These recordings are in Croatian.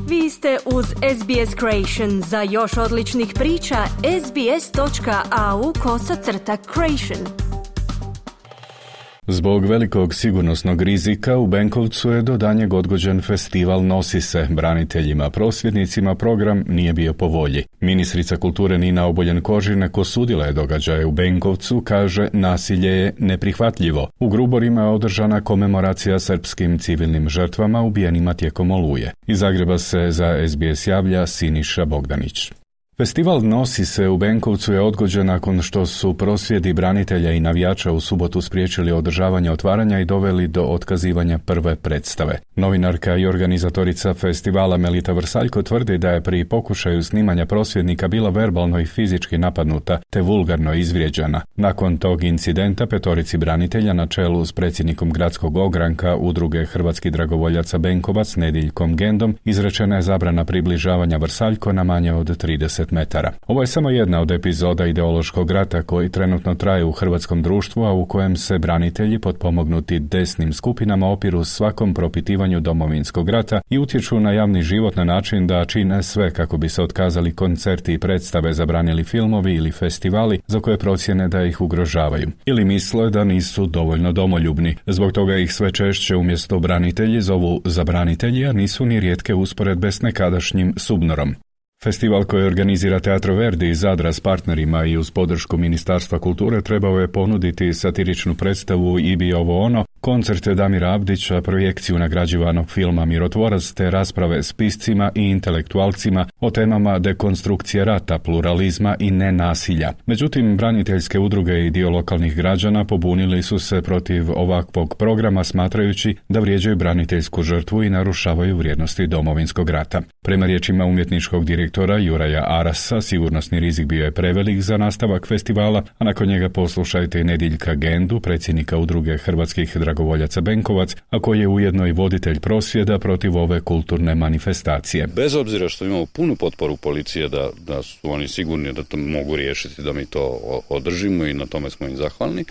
Vi ste uz SBS Creation. Za još odličnih priča, sbs.au/creation. Zbog velikog sigurnosnog rizika u Benkovcu je do danjeg odgođen festival Nosi se. Braniteljima, prosvjednicima program nije bio po volji. Ministrica kulture Nina Obuljen-Koržinek osudila je događaje u Benkovcu, kaže nasilje je neprihvatljivo. U Gruborima je održana komemoracija srpskim civilnim žrtvama ubijenima tijekom Oluje. Iz Zagreba se za SBS javlja Siniša Bogdanić. Festival Nosi se u Benkovcu je odgođen nakon što su prosvjedi branitelja i navijača u subotu spriječili održavanje otvaranja i doveli do otkazivanja prve predstave. Novinarka i organizatorica festivala Melita Vrsaljko tvrdi da je pri pokušaju snimanja prosvjednika bila verbalno i fizički napadnuta te vulgarno izvrijeđana. Nakon tog incidenta petorici branitelja na čelu s predsjednikom gradskog ogranka Udruge hrvatskih dragovoljaca Benkovac Nediljkom Gendom izrečena je zabrana približavanja Vrsaljko na manje od 30 metara. Ovo je samo jedna od epizoda ideološkog rata koji trenutno traje u hrvatskom društvu, a u kojem se branitelji potpomognuti desnim skupinama opiru svakom propitivanju Domovinskog rata i utječu na javni život na način da čine sve kako bi se otkazali koncerti i predstave, zabranili filmovi ili festivali za koje procjene da ih ugrožavaju. Ili misle da nisu dovoljno domoljubni. Zbog toga ih sve češće umjesto branitelji zovu za branitelji, a nisu ni rijetke usporedbe s nekadašnjim Subnorom. Festival koji organizira Teatro Verdi iz Zadra s partnerima i uz podršku Ministarstva kulture trebao je ponuditi satiričnu predstavu I bi ovo ono, koncerte Damira Abdića, projekciju nagrađivanog filma Mirotvorac te rasprave s piscima i intelektualcima o temama dekonstrukcije rata, pluralizma i nenasilja. Međutim, braniteljske udruge i dio lokalnih građana pobunili su se protiv ovakvog programa smatrajući da vrijeđaju braniteljsku žrtvu i narušavaju vrijednosti Domovinskog rata. Prema riječima umjetničkog direktora Juraja Arasa, sigurnosni rizik bio je prevelik za nastavak festivala, a nakon njega poslušajte i Nediljka Gendu, predsjednika Udruge hrvatskih dragovoljaca Benkovac, a koji je ujedno i voditelj prosvjeda protiv ove kulturne manifestacije. Bez obzira što imamo punu potporu policije da su oni sigurni da to mogu riješiti, da mi to održimo i na tome smo im zahvalni,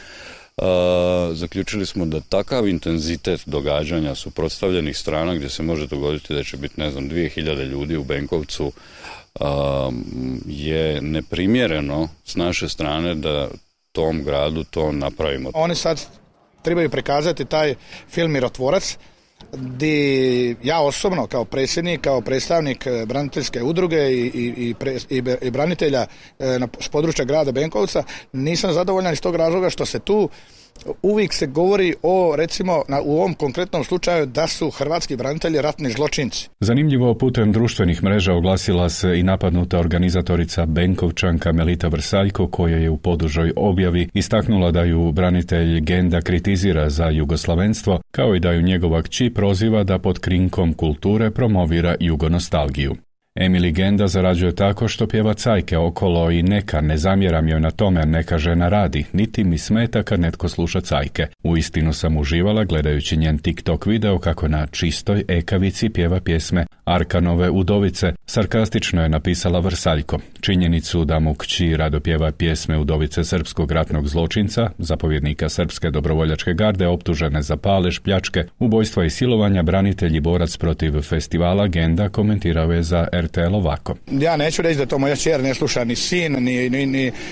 zaključili smo da takav intenzitet događanja suprotstavljenih strana gdje se može dogoditi da će biti 2000 ljudi u Benkovcu je neprimjereno s naše strane da tom gradu to napravimo. Oni sad trebaju prikazati taj film Mirotvorac gdje ja osobno kao predsjednik, kao predstavnik braniteljske udruge i branitelja s područja grada Benkovca nisam zadovoljan iz tog razloga što se tu uvijek se govori o, recimo, u ovom konkretnom slučaju da su hrvatski branitelji ratni zločinci. Zanimljivo, putem društvenih mreža oglasila se i napadnuta organizatorica Benkovčanka Melita Vrsaljko, koja je u podužoj objavi istaknula da ju branitelj Genda kritizira za jugoslavenstvo, kao i da ju njegova kći proziva da pod krinkom kulture promovira jugonostalgiju. Emily Genda zarađuje tako što pjeva cajke okolo i neka, ne zamjeram joj na tome, neka žena radi, niti mi smeta kad netko sluša cajke. Uistinu sam uživala gledajući njen TikTok video kako na čistoj ekavici pjeva pjesme Arkanove udovice, sarkastično je napisala Vrsaljko. Činjenicu da mu kći rado pjeva pjesme udovice srpskog ratnog zločinca, zapovjednika Srpske dobrovoljačke garde optužene za palež, pljačke, ubojstva i silovanja, branitelj i borac protiv festivala Genda komentirao je za RTL ovako. Ja neću reći da to moja čer ne sluša ni sin,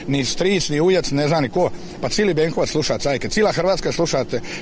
ni stric, ni ujac, ne zna ni ko. Pa cijeli Benkovac sluša cajke. Cijela Hrvatska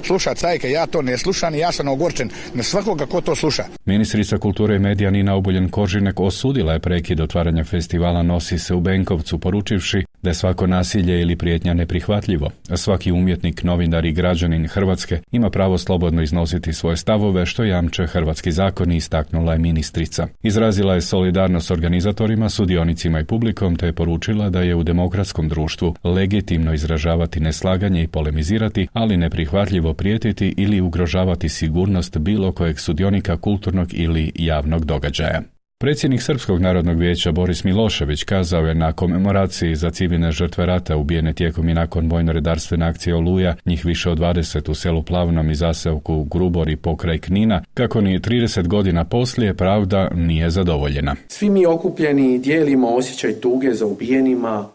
sluša cajke. Ja to ne slušam i ja sam ogorčen na svakoga ko to sluša. Ministrica kulture i medija Nina Obuljen-Koržinek osudila je prekid otvaranja festivala Nosi se u Benkovcu, poručivši da je svako nasilje ili prijetnja neprihvatljivo. Svaki umjetnik, novinar i građanin Hrvatske ima pravo slobodno iznositi svoje stavove, što jamče hrvatski zakoni, istaknula je ministrica. Izrazila je solidarnost s organizatorima, sudionicima i publikom, te je poručila da je u demokratskom društvu legitimno izražavati neslaganje i polemizirati, ali neprihvatljivo prijetiti ili ugrožavati sigurnost bilo kojeg sudionika kulturnog ili javnog događaja. Predsjednik Srpskog narodnog vijeća Boris Milošević kazao je na komemoraciji za civilne žrtve rata ubijene tijekom i nakon vojno-redarstvene akcije Oluja, njih više od 20 u selu Plavnom i zaseoku Grubori pokraj Knina, kako ni 30 godina poslije pravda nije zadovoljena. Svi mi okupljeni dijelimo osjećaj tuge za ubijenima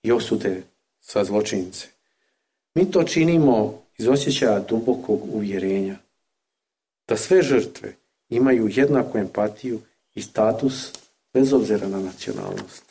i osude za zločince. Mi to činimo iz osjećaja dubokog uvjerenja da sve žrtve imaju jednaku empatiju i status bez obzira na nacionalnost.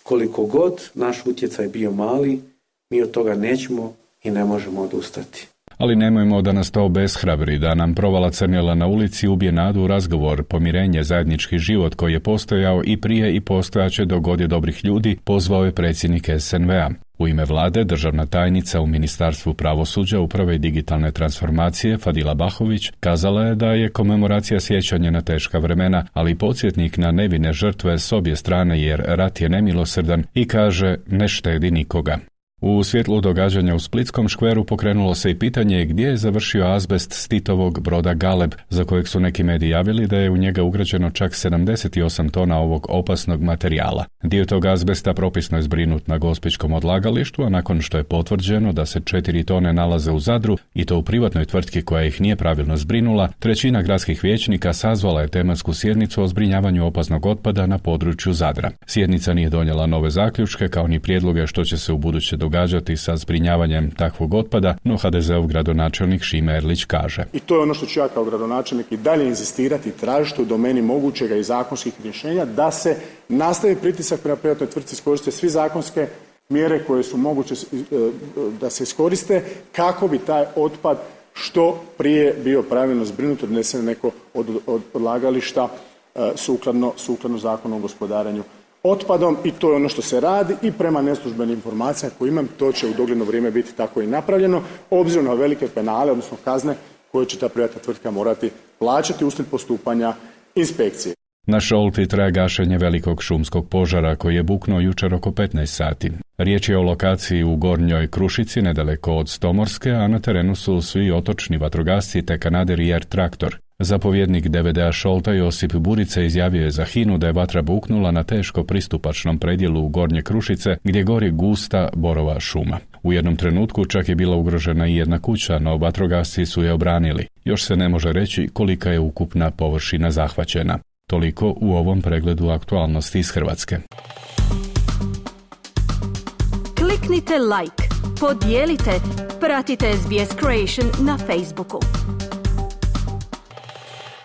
Koliko god naš utjecaj bio mali, mi od toga nećemo i ne možemo odustati. Ali nemojmo da nas to obeshrabri, da nam provala crnila na ulici ubije nadu u razgovor, pomirenje, zajednički život koji je postojao i prije i postojaće dok god je dobrih ljudi, pozvao je predsjednik SNV-a. U ime vlade, državna tajnica u Ministarstvu pravosuđa, uprave i digitalne transformacije Fadila Bahović kazala je da je komemoracija sjećanje na teška vremena, ali i podsjetnik na nevine žrtve s obje strane jer rat je nemilosrdan i kaže ne štedi nikoga. U svjetlu događanja u Splitskom škveru pokrenulo se i pitanje gdje je završio azbest s Titovog broda Galeb, za kojeg su neki mediji javili da je u njega ugrađeno čak 78 tona ovog opasnog materijala. Dio tog azbesta propisno je zbrinut na gospićkom odlagalištu, a nakon što je potvrđeno da se 4 tone nalaze u Zadru, i to u privatnoj tvrtki koja ih nije pravilno zbrinula, trećina gradskih vijećnika sazvala je tematsku sjednicu o zbrinjavanju opasnog otpada na području Zadra. Sjednica nije donijela nove zaključke, kao ni prijedloge što će se u buduće događati sa zbrinjavanjem takvog otpada, no HDZ-ov gradonačelnik Šime Erlić kaže. I to je ono što ću ja kao gradonačelnik i dalje inzistirati i tražiti u domeni mogućega i zakonskih rješenja da se nastavi pritisak prema privatnoj tvrtci, iskoriste svi zakonske mjere koje su moguće da se iskoriste kako bi taj otpad što prije bio pravilno zbrinut, odnesen neko od odlagališta sukladno Zakonu o gospodarenju otpadom, i to je ono što se radi i prema neslužbenim informacijama koje imam, to će u dogledno vrijeme biti tako i napravljeno, obzirom na velike penale, odnosno kazne koje će ta privatna tvrtka morati plaćati uslijed postupanja inspekcije. Na Šolti traje gašenje velikog šumskog požara koji je buknuo jučer oko 15 sati. Riječ je o lokaciji u Gornjoj Krušici, nedaleko od Stomorske, a na terenu su svi otočni vatrogasci te kanader i traktor. Zapovjednik DVD-a Šolta Josip Burica izjavio je za HINA-u da je vatra buknula na teško pristupačnom predjelu Gornje Krušice gdje gori gusta borova šuma. U jednom trenutku čak je bila ugrožena i jedna kuća, no vatrogasci su je obranili. Još se ne može reći kolika je ukupna površina zahvaćena. Toliko u ovom pregledu aktualnosti iz Hrvatske. Kliknite like, podijelite, pratite SBS Creation na Facebooku.